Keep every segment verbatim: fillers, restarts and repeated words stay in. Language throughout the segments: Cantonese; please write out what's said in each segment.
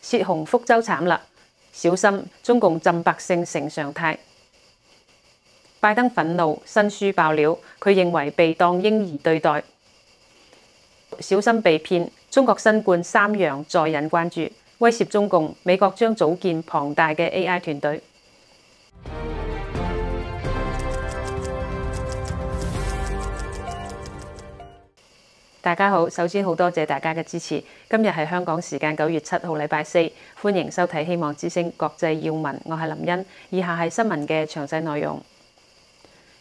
泄洪福州慘啦，小心中共浸百姓成常態。拜登憤怒，新書爆料，佢認為被當嬰兒對待，小心被騙。中國新冠三陽再引關注，威脅中共，美國將組建龐大嘅 A I 團隊。大家好，首先好多謝大家嘅支持。今日係香港時間九月七號禮拜四，歡迎收睇《希望之聲》國際要聞，我係林茵。以下係新聞嘅詳細內容。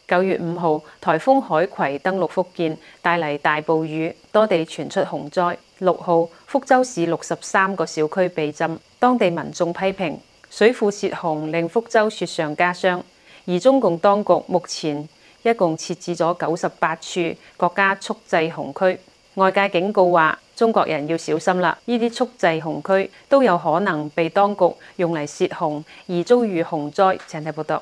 九月五號，颱風海葵登陸福建，帶嚟大暴雨，多地傳出洪災。六號，福州市六十三個小區被浸，當地民眾批評水庫泄洪令福州雪上加霜。而中共當局目前一共設置咗九十八處國家蓄滯洪區，外界警告話中國人要小心啦，呢啲蓄滯洪區都有可能被當局用嚟泄洪而遭遇洪災。請睇報道。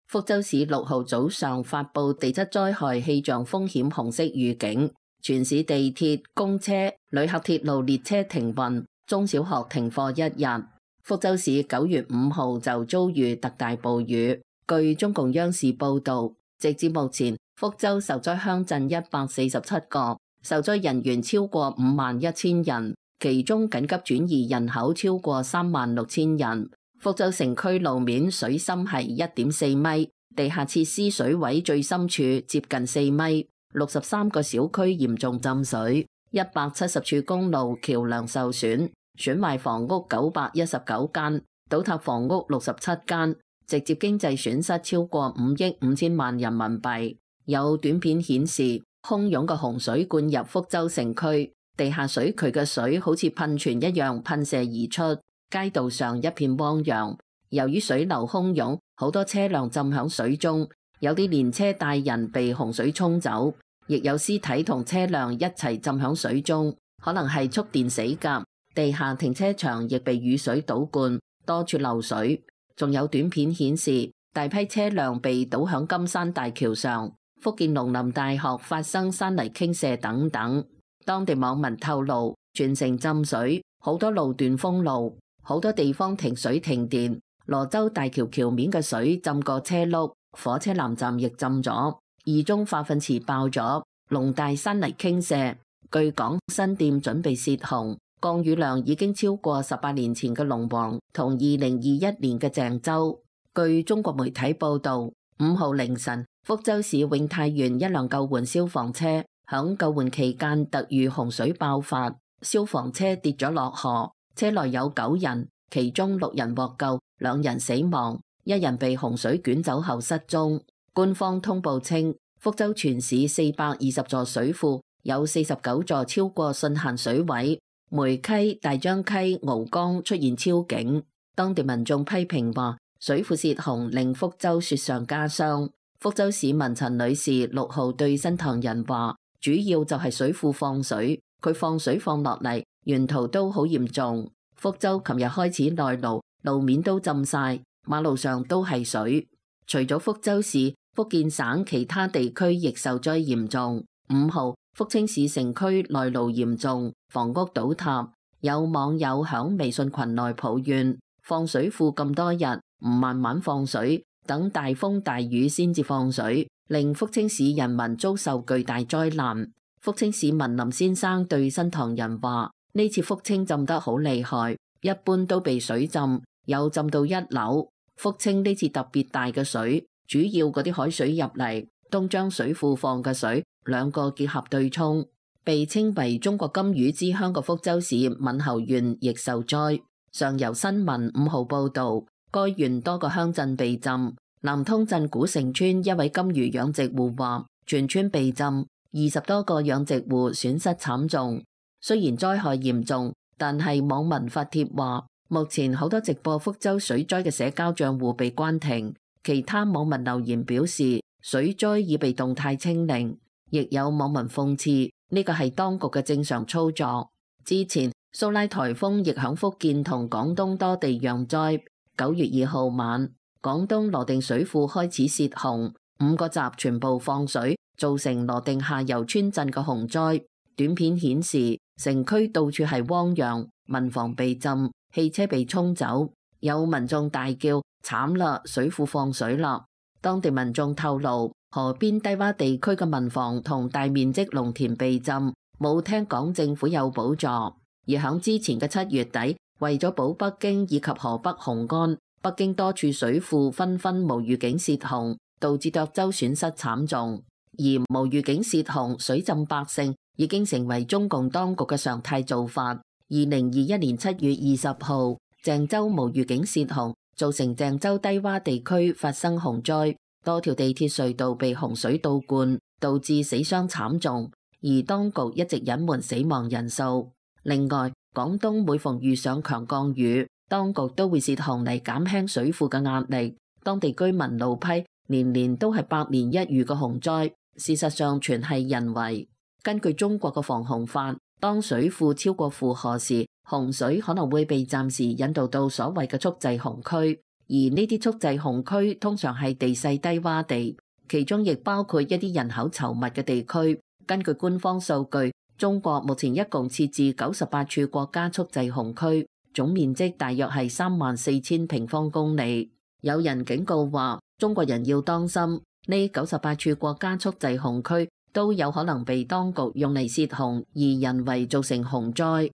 福州市六號早上發布地質災害氣象風險紅色預警，全市地鐵、公車、旅客鐵路列車停運，中小學停課一日。福州市九月五號就遭遇特大暴雨。據中共央視報道，直至目前，福州受災鄉鎮一百四十七個，受災人員超過五萬一千人，其中緊急轉移人口超過三萬六千人。福州城區路面水深係一點四米，地下設施水位最深處接近四米，六十三個小區嚴重浸水，一百七十處公路橋樑受損，損壞房屋九百一十九間，倒塌房屋六十七間，直接經濟損失超過五億五千萬人民幣。有短片顯示，洶湧嘅洪水灌入福州城區，地下水渠嘅水好似噴泉一樣噴射而出。街道上一片汪洋，由於水流洶湧，好多車輛浸響水中，有啲連車帶人被洪水沖走，亦有屍體同車輛一齊浸響水中，可能係觸電死㗎。地下停車場亦被雨水倒灌，多處漏水。仲有短片顯示，大批車輛被倒響金山大橋上，福建農林大學發生山泥傾瀉等等。當地網民透露，全城浸水，好多路段封路。好多地方停水停電，羅州大橋橋面嘅水浸過車轆，火車南站亦浸咗，二中化糞池爆咗，龍大山泥傾瀉。據講，新店準備泄洪，降雨量已經超過十八年前嘅龍王同二零二一年嘅鄭州。據中國媒體報道，五號凌晨，福州市永泰縣一輛救援消防車響救援期間突遇洪水爆發，消防車跌咗落河。車內有九人，其中六人獲救，兩人死亡，一人被洪水捲走後失蹤。官方通報稱，福州全市四百二十座水庫，有四十九座超過汛限水位，梅溪、大張溪、敖江出現超警。當地民眾批評話，水庫泄洪令福州雪上加霜。福州市民陳女士六號對新唐人話，主要就係水庫放水，佢放水放落嚟，沿途都好嚴重。福州琴日開始內澇，路面都浸晒，馬路上都係水。除咗福州市，福建省其他地區亦受災嚴重。五號，福清市城區內澇嚴重，房屋倒塌。有網友響微信群內抱怨，放水庫咁多日，唔慢慢放水，等大風大雨先至放水，令福清市人民遭受巨大災難。福清市民林先生對新唐人話，呢次福清浸得好厲害，一般都被水浸，有浸到一樓。福清呢次特別大嘅水，主要嗰啲海水入嚟，都將水庫放嘅水兩個結合對沖。被稱為中國金魚之鄉嘅福州市閩侯縣亦受災。上游新聞五號報道，該縣多個鄉鎮被浸。南通鎮古城村一位金魚養殖戶話，全村被浸，二十多個養殖戶損失慘重。雖然災害嚴重，但係網民發帖話，目前好多直播福州水災嘅社交賬戶被關停。其他網民留言表示，水災已被動態清零。亦有網民諷刺，呢個係當局嘅正常操作。之前蘇拉颱風亦響福建同廣東多地釀災。九月二號晚，廣東羅定水庫開始泄洪，五個閘全部放水，造成羅定下游村鎮嘅洪災。短片顯示，城區到處係汪洋，民房被浸，汽車被沖走，有民眾大叫慘啦，水庫放水啦。當地民眾透露，河邊低洼地區嘅民房同大面積農田被浸，冇聽講政府有補助。而響之前嘅七月底，為咗保北京以及河北雄安，北京多處水庫紛紛無預警泄洪，導致涿州損失慘重。而無預警泄洪、水浸百姓已經成為中共當局嘅常態做法。二零二一年七月二十號，鄭州無預警泄洪，造成鄭州低洼地區發生洪災，多條地鐵隧道被洪水倒灌，導致死傷慘重。而當局一直隱瞞死亡人數。另外，廣東每逢遇上強降雨，當局都會泄洪嚟減輕水庫嘅壓力。當地居民怒批年年都係百年一遇嘅洪災，事實上全係人為。根據中國嘅防洪法，當水庫超過負荷時，洪水可能會被暫時引導到所謂嘅蓄滯洪區，而呢啲蓄滯洪區通常係地勢低洼地，其中亦包括一啲人口稠密嘅地區。根據官方數據，中國目前一共設置九十八處國家蓄滯洪區，總面積大約係三萬四千平方公里。有人警告話，中國人要當心，呢九十八處國家蓄滯洪區都有可能被當局用嚟泄洪，而人為造成洪災。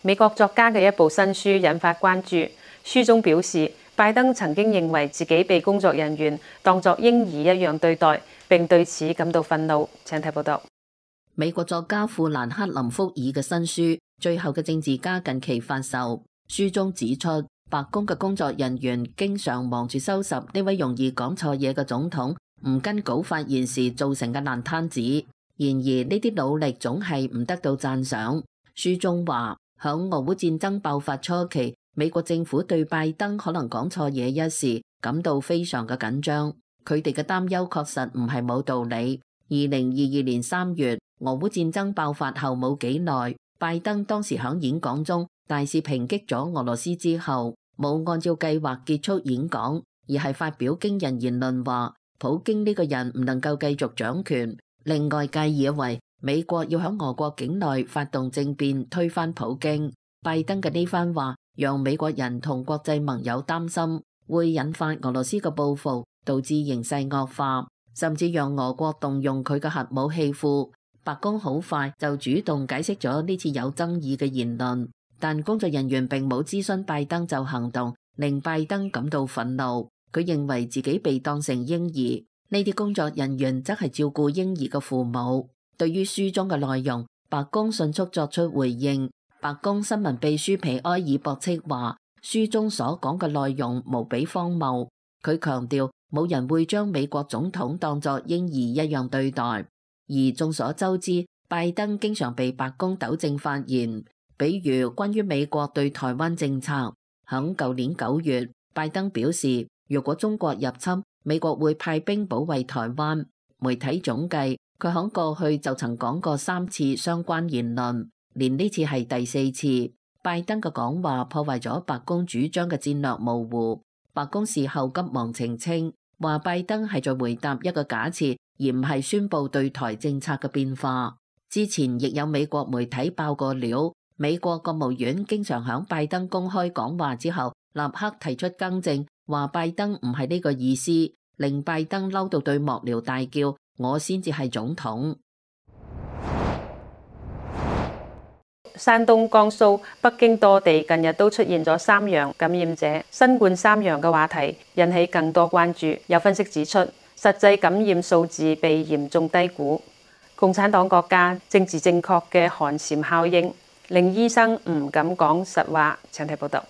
美國作家嘅一部新書引發關注，書中表示，拜登曾經認為自己被工作人員當作嬰兒一樣對待，並對此感到憤怒。請睇報道。美國作家富蘭克林福爾嘅新書《最後嘅政治家》近期發售，書中指出，白宮嘅工作人員經常忙住收拾呢位容易講錯嘢嘅總統唔跟稿發言時造成嘅爛攤子。然而呢啲努力總係唔得到讚賞。書中話，響俄烏戰爭爆發初期，美國政府對拜登可能講錯嘢一事感到非常嘅緊張。佢哋嘅擔憂確實唔係冇道理。二零二二年三月，俄烏戰爭爆發後冇幾耐，拜登當時響演講中大肆抨擊咗俄羅斯之後，冇按照計劃結束演講，而係發表驚人言論話，普京呢個人唔能夠繼續掌權，令外界以為美國要響俄國境內發動政變推翻普京。拜登嘅呢番話讓美國人同國際盟友擔心會引發俄羅斯嘅報復，導致形勢惡化，甚至讓俄國動用佢嘅核武器庫。白宮好快就主動解釋咗呢次有爭議嘅言論，但工作人員並冇諮詢拜登就行動，令拜登感到憤怒。佢認為自己被當成嬰兒，呢啲工作人員則係照顧嬰兒嘅父母。對於書中嘅內容，白宮迅速作出回應。白宮新聞秘書皮埃爾博斥話，書中所講嘅內容無比荒謬。佢強調，冇人會將美國總統當作嬰兒一樣對待。而眾所周知，拜登經常被白宮糾正發言，比如關於美國對台灣政策。響舊年九月，拜登表示，如果中國入侵，美國會派兵保衛台灣。媒體總計，佢響過去就曾講過三次相關言論，連呢次係第四次。拜登嘅講話破壞咗白宮主張嘅戰略模糊。白宮事後急忙澄清，話拜登係在回答一個假設，而唔係宣布對台政策嘅變化。之前亦有美國媒體爆過料，美國國務院經常響拜登公開講話之後立刻提出更正，話拜登唔係呢個意思，令拜登嬲到對幕僚大叫，我先至係總統。山東、江蘇、北京多地近日都出現咗三陽感染者，新冠三陽嘅話題引起更多關注。有分析指出，實際感染數字被嚴重低估。共產黨國家政治正確嘅寒蟬效應，令醫生唔敢講實話。請睇報道。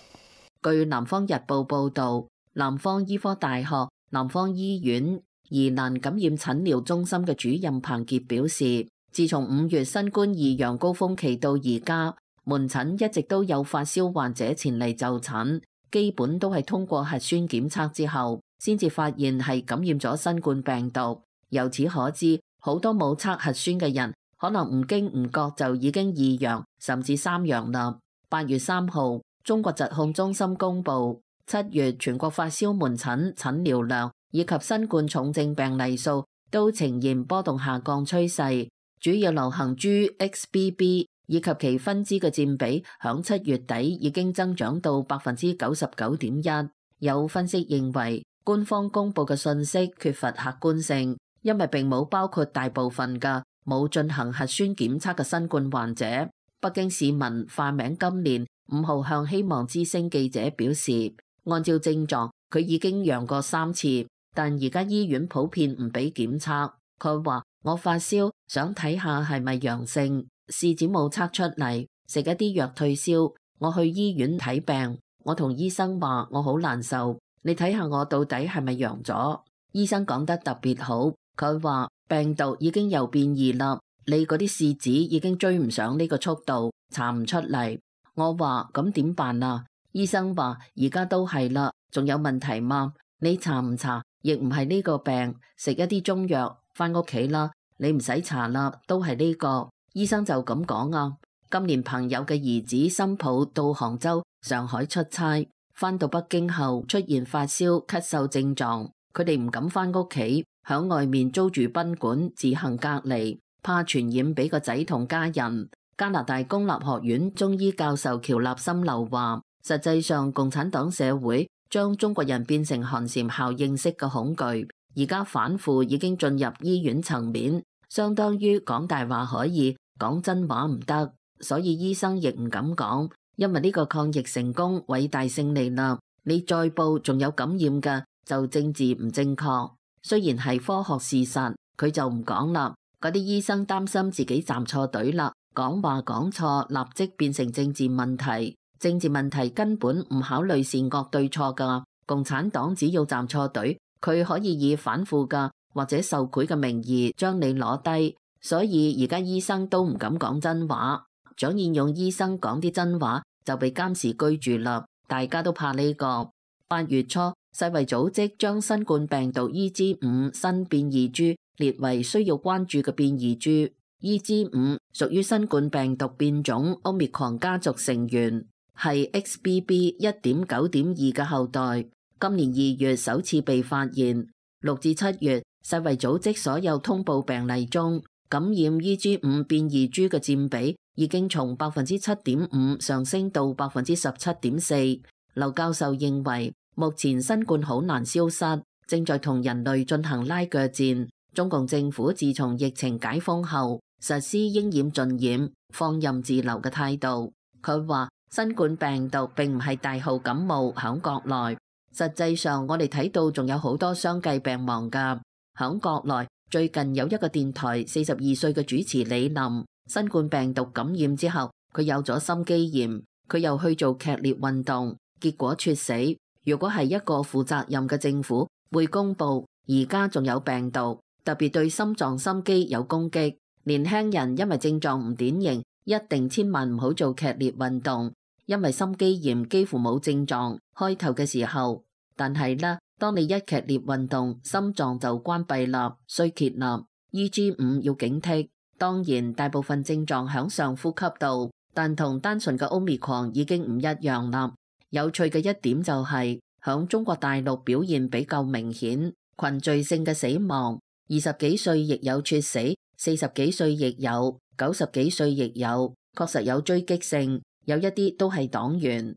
據南方日報報道，南方醫科大學南方醫院疑難感染診療中心嘅主任彭傑表示，自從五月新冠二陽高峰期到而家，門診一直都有發燒患者前嚟就診，基本都係通過核酸檢測之後，先至發現係感染咗新冠病毒。由此可知，好多冇測核酸嘅人，可能唔經唔覺就已經二陽甚至三陽啦。八月三號，中國疾控中心公布，七月全國發燒門診診療量以及新冠重症病例數都呈現波動下降趨勢。主要流行株 X B B 以及其分支嘅佔比，響七月底已經增長到百分之九十九點一。有分析認為，官方公佈嘅信息缺乏客觀性，因為並冇包括大部分嘅冇進行核酸檢測嘅新冠患者。北京市民化名今年五號向希望之聲記者表示，按照症狀，佢已經陽過三次，但而家醫院普遍唔俾檢測。佢話：我發燒，想睇下係咪陽性，試紙冇測出嚟，食一啲藥退燒。我去醫院睇病，我同醫生話我好難受，你睇下我到底係咪陽咗？醫生講得特別好，佢話病毒已經又變異啦，你嗰啲試紙已經追唔上呢個速度，查唔出嚟。我話咁點辦啊？醫生話而家都係啦，仲有問題嗎？你查唔查？亦唔係呢個病，食一啲中藥，返屋企啦。你唔使查啦，都係呢個。醫生就咁講啊。今年朋友嘅兒子新抱到杭州、上海出差，返到北京後出現發燒、咳嗽症狀，佢哋唔敢返屋企，響外面租住賓館自行隔離，怕傳染俾個仔同家人。加拿大公立學院中醫教授喬立森流話，實際上共產黨社會將中國人變成寒蟬效應式嘅恐懼，而家反腐已經進入醫院層面，相當於講大話可以，講真話唔得，所以醫生亦唔敢講，因為呢個抗疫成功偉大勝利啦，你再報仲有感染嘅就政治唔正確，雖然係科學事實，佢就唔講啦。嗰啲醫生擔心自己站錯隊啦，講話講錯立即變成政治問題。政治問題根本唔考慮善惡對錯噶，共產黨只要站錯隊，佢可以以反腐噶或者受賄嘅名義將你攞低，所以而家醫生都唔敢講真話。蔣彥勇醫生講啲真話就被監視居住啦，大家都怕呢個。八月初，世衛組織將新冠病毒 E G 五新變異株列為需要關注嘅變異株。E G 五屬於新冠病毒變種 Omicron 家族成員，係 X B B 一點九點二嘅後代，今年二月首次被發現。六至七月，世衛組織所有通報病例中，感染 E G 五變異株嘅佔比已經從百分之七點五上升到百分之十七點四。劉教授認為，目前新冠好難消失，正在同人類進行拉鋸戰。中共政府自從疫情解封後，實施應染盡染、放任自流嘅態度。佢話，新冠病毒並唔係大號感冒響國內，實際上我哋睇到仲有好多相繼病亡㗎。響國內最近有一個電台四十二歲嘅主持李林，新冠病毒感染之後，佢有咗心肌炎，佢又去做劇烈運動，結果猝死。如果係一個負責任嘅政府，會公佈而家仲有病毒，特別對心臟心肌有攻擊。年輕人因為症狀唔典型，一定千萬唔好做劇烈運動。因為心肌炎幾乎冇症狀，開頭嘅時候，但係呢，當你一劇烈運動，心臟就關閉啦，衰竭啦。E G 五要警惕，當然大部分症狀響上呼吸道，但同單純嘅 Omicron 已經唔一樣啦。有趣嘅一點就係、是，響中國大陸表現比較明顯，群聚性嘅死亡，二十幾歲亦有猝死，四十幾歲亦有，九十幾歲亦有，確實有追擊性。有一啲都係黨員。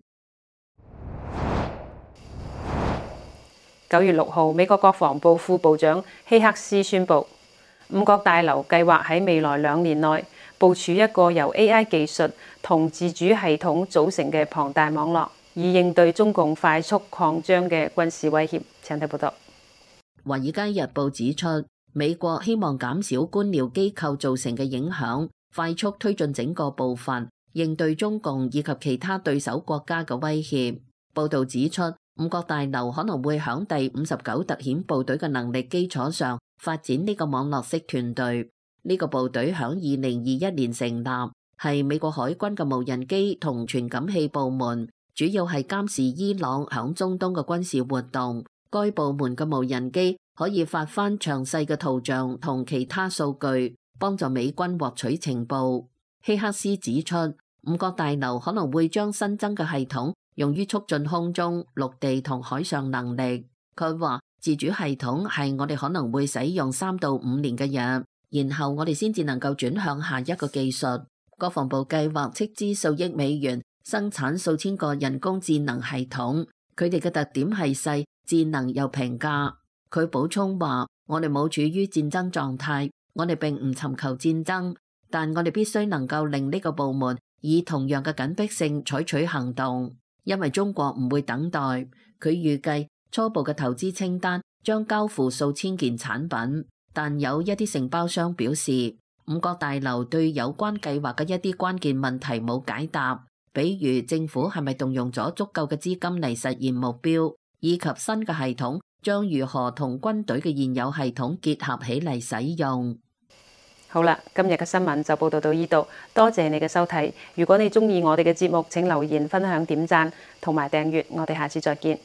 九月六號，美國國防部副部長希克斯宣布，五角大樓計劃喺未來兩年內部署一個由 A I 技術同自主系統組成嘅龐大網絡，以應對中共快速擴張嘅軍事威脅。請睇報道。《華爾街日報》指出，美國希望減少官僚機構造成嘅影響，快速推進整個步伐，應對中共以及其他對手國家嘅威脅。報導指出，五角大樓可能會響第五十九特遣部隊嘅能力基礎上發展呢個網絡式團隊。呢個部隊響二零二一年成立，係美國海軍嘅無人機同傳感器部門，主要係監視伊朗響中東嘅軍事活動。該部門嘅無人機可以發翻詳細嘅圖像同其他數據，幫助美軍獲取情報。希克斯指出，五角大樓可能會將新增嘅系統用於促進空中、陸地同海上能力。佢話自主系統係我哋可能會使用三到五年嘅嘢，然後我哋先至能夠轉向下一個技術。國防部計劃斥資數億美元生產數千個人工智能系統，佢哋嘅特點係細、智能又平價。佢補充話：我哋冇處於戰爭狀態，我哋並唔尋求戰爭，但我哋必須能夠令呢個部門以同樣嘅緊迫性採取行動，因為中國唔會等待。佢預計初步嘅投資清單將交付數千件產品，但有一啲承包商表示，五角大樓對有關計劃嘅一啲關鍵問題冇解答，比如政府係咪動用咗足夠嘅資金嚟實現目標，以及新嘅系統將如何同軍隊嘅現有系統結合起嚟使用。好啦，今日嘅新聞就報道到呢度，多謝你嘅收睇。如果你鍾意我哋嘅節目，請留言、分享、點讚同埋訂閱，我哋下次再見。